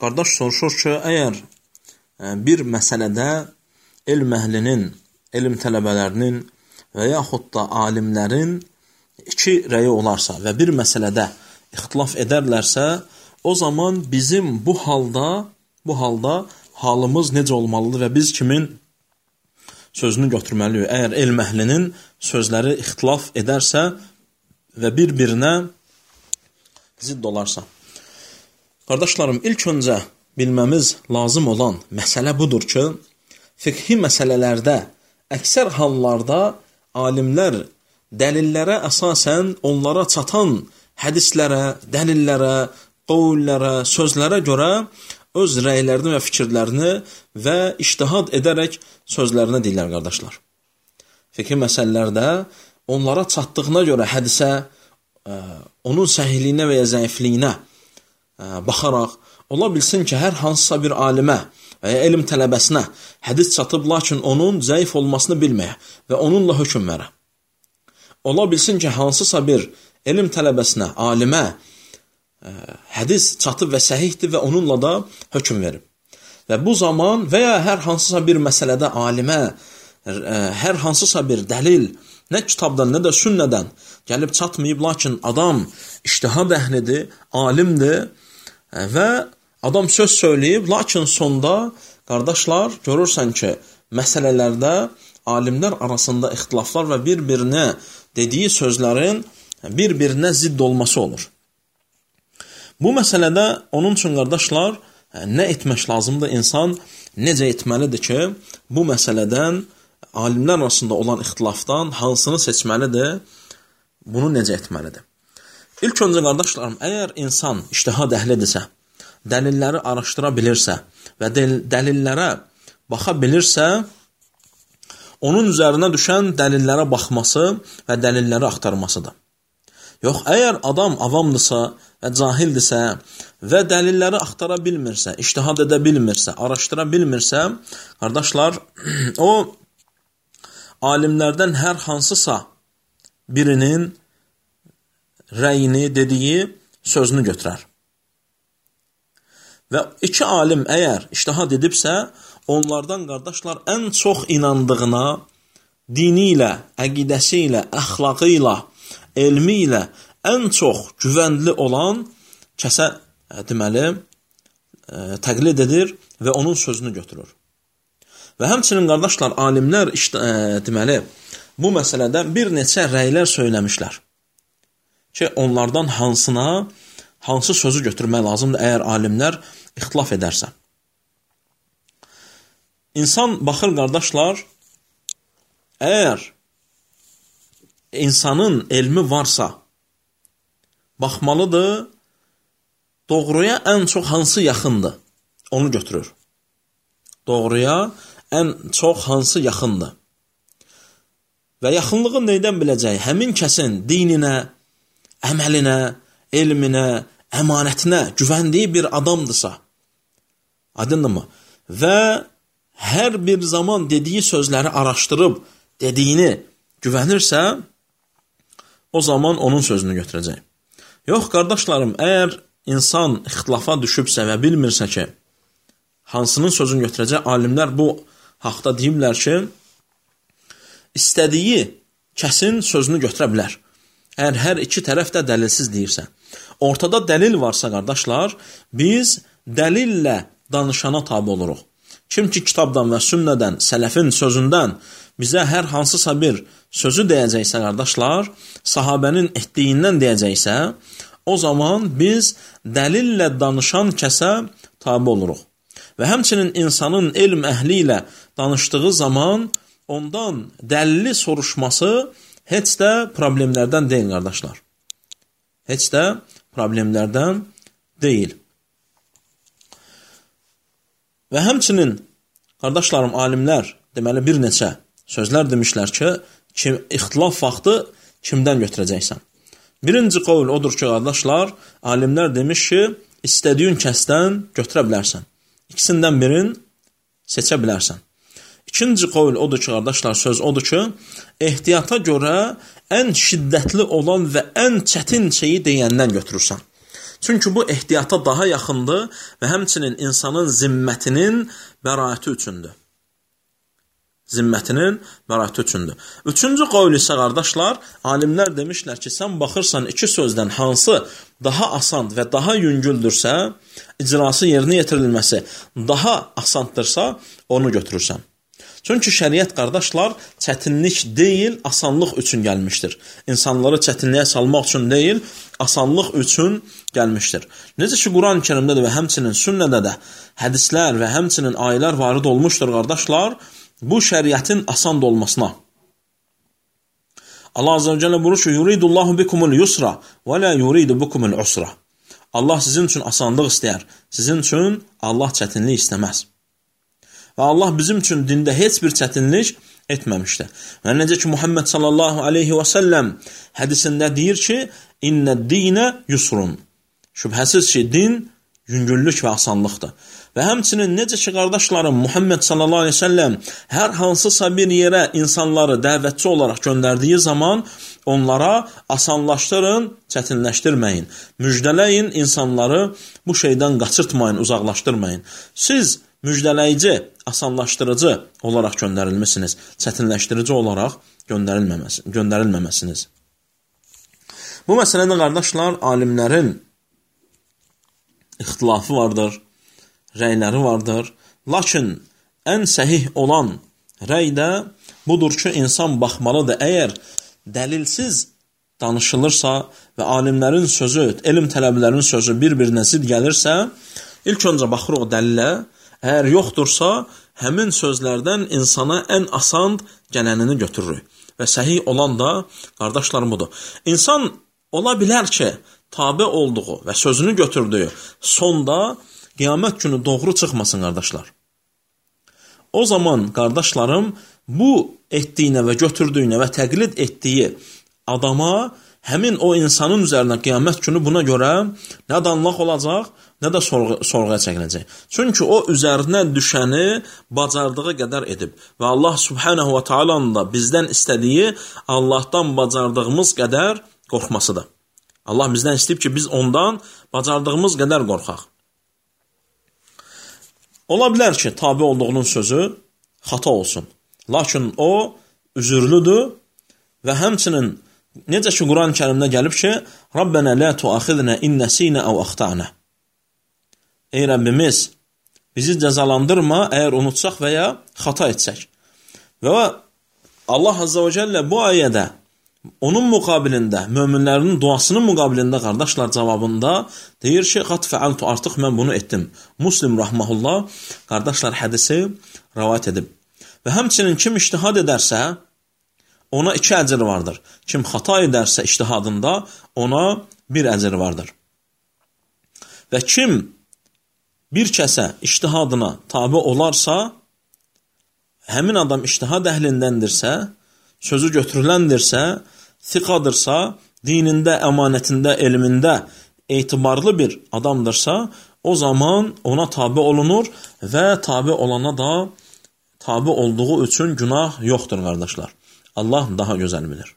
qardaş soruşur ki, əgər bir məsələdə elm əhlinin, elm tələbələrinin və yaxud da alimlərin iki rəyi olarsa və bir məsələdə ixtilaf edərlərsə, o zaman bizim bu halda halımız necə olmalıdır və biz kimin sözünü götürməliyik? Əgər elm əhlinin sözləri ixtilaf edərsə və bir-birinə zidd olarsa. Qardaşlarım, ilk öncə bilməmiz lazım olan məsələ budur ki, fiqhi məsələlərdə əksər hallarda alimlər dəlillərə əsasən onlara çatan hədislərə, dəlillərə, qovullərə, sözlərə görə öz rəylərini və fikirlərini və ictihad edərək sözlərini deyirlər, qardaşlar. Fiqhi məsələlərdə onlara çatdığına görə hədisə, onun səhihliyinə və ya zəifliyinə baxaraq, ola bilsin ki, hər hansısa bir alimə və ya elm tələbəsinə hədis çatıb, lakin onun zəif olmasını bilməyə və onunla hökm verə. Ola bilsin ki, hansısa bir elm tələbəsinə, alimə hədis çatıb və səhihdir və onunla da hökm verib. Və bu zaman və ya hər hansısa bir məsələdə alimə hər hansısa bir dəlil nə kitabdan, nə də sünnədən gəlib çatmayıb, lakin adam ictihad əhlidir, alimdir və adam söz söyləyib, lakin sonda, qardaşlar, görürsən ki, məsələlərdə alimlər arasında ixtilaflar və bir-birinə dediyi sözlərin bir-birinə zidd olması olur. Bu məsələdə onun üçün, qardaşlar, nə etmək lazımdır? İnsan necə etməlidir ki, bu məsələdən, alimlər arasında olan ixtilafdan hansını seçməlidir? Bunu necə etməlidir? İlk öncə, qardaşlarım, əgər insan ictihad əhlidirsə, dəlilləri araşdıra bilirsə və dəlillərə baxa bilirsə, onun üzərinə düşən dəlillərə baxması və dəlilləri axtarmasıdır. Yox, əgər adam avamdırsa və cahildirsə və dəlilləri axtara bilmirsə, ictihad edə bilmirsə, araşdıra bilmirsə, qardaşlar, o alimlərdən hər hansısa birinin rəyini, dediyi sözünü götürər. Və iki alim əgər ictihad edibsə, onlardan, qardaşlar, ən çox inandığına, dini ilə, əqidəsi ilə, əxlaqı ilə, elmi ilə ən çox güvənli olan kəsə deməli təqlid edir və onun sözünü götürür. Və həmçinin, qardaşlar, alimlər deməli bu məsələdə bir neçə rəylər söyləmişlər ki, onlardan hansı sözü götürmək lazımdır əgər alimlər ixtilaf edərsə. İnsan baxır, qardaşlar, əgər insanın elmi varsa, baxmalıdır, doğruya ən çox hansı yaxındır, onu götürür. Doğruya ən çox hansı yaxındır. Və yaxınlığı neydən biləcək? Həmin kəsin dininə, əməlinə, elminə, əmanətinə güvəndiyi bir adamdırsa, aydındırmı? Və hər bir zaman dediyi sözləri araşdırıb, dediyini güvənirsə, o zaman onun sözünü götürəcək. Yox, qardaşlarım, əgər insan ixtilafa düşübsə və bilmirsə ki, hansının sözünü götürəcək, alimlər bu haqda deyiblər ki, istədiyi kəsin sözünü götürə bilər. Əgər hər iki tərəf də dəlilsiz deyirsə. Ortada dəlil varsa, qardaşlar, biz dəlillə danışana tabi oluruq. Kim ki, kitabdan və sünnədən, sələfin sözündən bizə hər hansısa bir sözü deyəcəksə, qardaşlar, sahabənin etdiyindən deyəcəksə, o zaman biz dəlillə danışan kəsə tabi oluruq. Və həmçinin insanın elm əhli ilə danışdığı zaman ondan dəlili soruşması heç də problemlərdən deyil, qardaşlar. Heç də problemlərdən deyil. Və həmçinin, qardaşlarım, alimlər deməli bir neçə sözlər demişlər ki, ixtilaf vaxtı kimdən götürəcəksən? Birinci qovul odur ki, qardaşlar, alimlər demiş ki, istədiyin kəsdən götürə bilərsən. İkisindən birini seçə bilərsən. İkinci qovul odur ki, qardaşlar, söz odur ki, ehtiyata görə ən şiddətli olan və ən çətin şeyi deyəndən götürürsən. Çünki bu ehtiyata daha yaxındır və həmçinin insanın zimmətinin bəraəti üçündür. Zimmətinin bəraəti üçündür. Üçüncü qavl isə qardaşlar, alimlər demişlər ki, sən baxırsan iki sözdən hansı daha asan və daha yüngüldürsə, icrası yerinə yetirilməsi daha asandırsa, onu götürürsən. Çünki şəriət qardaşlar çətinlik deyil, asanlıq üçün gəlmişdir. İnsanları çətinliyə salmaq üçün deyil, asanlıq üçün gəlmişdir. Necə ki, Quran-Kərimdə və həmçinin sünnədə də hədislər və həmçinin ayələr varid olmuşdur qardaşlar, bu şəriətin asan olmasına. Allah Azze ve Celle buyurur ki, yuridullahu bikumul yusra və la yuridu bikumul usra. Allah sizin üçün asanlıq istəyər, sizin üçün Allah çətinlik istəməz. Və Allah bizim üçün dində heç bir çətinlik etməmişdir. Və necə ki, Muhammed sallallahu aleyhi və səlləm hədisində deyir ki, İnnəd-dinə yusrun. Şübhəsiz ki, din yüngüllük və asanlıqdır. Və həmçinin necə ki, qardaşlarım, Muhammed sallallahu aleyhi və səlləm hər hansısa bir yerə insanları dəvətçi olaraq göndərdiyi zaman onlara asanlaşdırın, çətinləşdirməyin. Müjdələyin, insanları bu şeydən qaçırtmayın, uzaqlaşdırmayın. Siz müjdələyici, asanlaşdırıcı olaraq göndərilmişsiniz, çətinləşdirici olaraq göndərilməməsiniz. Bu məsələdə qardaşlar, alimlərin ixtilafı vardır, rəyləri vardır. Lakin ən səhih olan rəy də budur ki, insan baxmalıdır. Əgər dəlilsiz danışılırsa və alimlərin sözü, elm tələbələrinin sözü bir-birinə zid gəlirsə, ilk öncə baxır o dəlilə. Əgər yoxdursa, həmin sözlərdən insana ən asan gələnini götürürük. Və səhih olan da, qardaşlarım, budur. İnsan ola bilər ki, tabe olduğu və sözünü götürdüyü sonda qiyamət günü doğru çıxmasın, qardaşlar. O zaman, qardaşlarım, bu etdiyinə və götürdüyünə və təqlid etdiyi adama, həmin o insanın üzərinə qiyamət günü buna görə nə danlaq olacaq, nə də sorğuya çəkiləcək. Çünki o üzərinə düşəni bacardığı qədər edib. Və Allah subhanahu wa ta'alanın da bizdən istədiyi Allahdan bacardığımız qədər qorxmasıdır. Allah bizdən istəyib ki, biz ondan bacardığımız qədər qorxaq. Ola bilər ki, tabi olduğunun sözü xata olsun. Lakin o üzürlüdür və həmçinin necə ki, Quran-Kərimdə gəlib ki, Rabbənə lə tuaxidnə innəsinə əv axta'nə. Ey Rəbbimiz, bizi cəzalandırma, əgər unutsaq və ya xata etsək. Və Allah Azze ve Celle bu ayədə onun müqabilində, möminlərinin duasının müqabilində, qardaşlar cavabında deyir ki, qat fəaltu, artıq mən bunu etdim. Muslim rahmehullah, qardaşlar hədisi rivayet edib. Və həmçinin kim ictihad edərsə, ona 2 əcr vardır. Kim xata edərsə ictihadında, ona 1 əcr vardır. Və kim bir kəsə ictihadına tabi olarsa, həmin adam ictihad əhlindəndirsə, sözü götürüləndirsə, thiqadırsa, dinində, əmanətində, elmində etibarlı bir adamdırsa, o zaman ona tabi olunur və tabi olana da tabi olduğu üçün günah yoxdur, qardaşlar. Allah daha gözəl bilir.